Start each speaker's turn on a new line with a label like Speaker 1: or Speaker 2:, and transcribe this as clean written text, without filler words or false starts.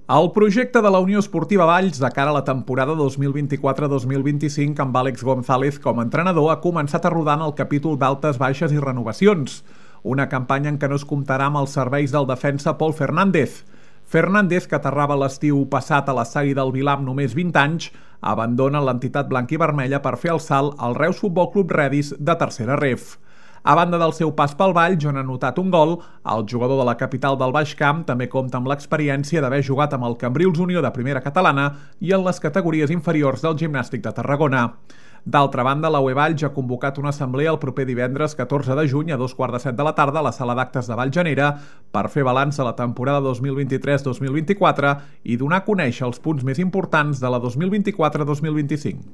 Speaker 1: El projecte de la Unió Esportiva Valls de cara a la temporada 2024-2025 amb Àlex González com a entrenador ha començat a rodar en el capítol d'altes, baixes i renovacions. Una campanya en què no es comptarà amb els serveis del defensa Pol Fernández. Fernández, que aterrava l'estiu passat a l'estadi del Vilar amb només 20 anys, abandona l'entitat blanc-i-vermella per fer el salt al Reus Futbol Club Redis de tercera ref. A banda del seu pas pel Valls, on ha anotat un gol, el jugador de la capital del Baix Camp també compta amb l'experiència d'haver jugat amb el Cambrils Unió de primera catalana i en les categories inferiors del Gimnàstic de Tarragona. D'altra banda, la UE Valls ha convocat una assemblea el proper divendres 14 de juny a 2:15 de la tarda a la sala d'actes de Valljanera per fer balanç a la temporada 2023-2024 i donar a conèixer els punts més importants de la 2024-2025.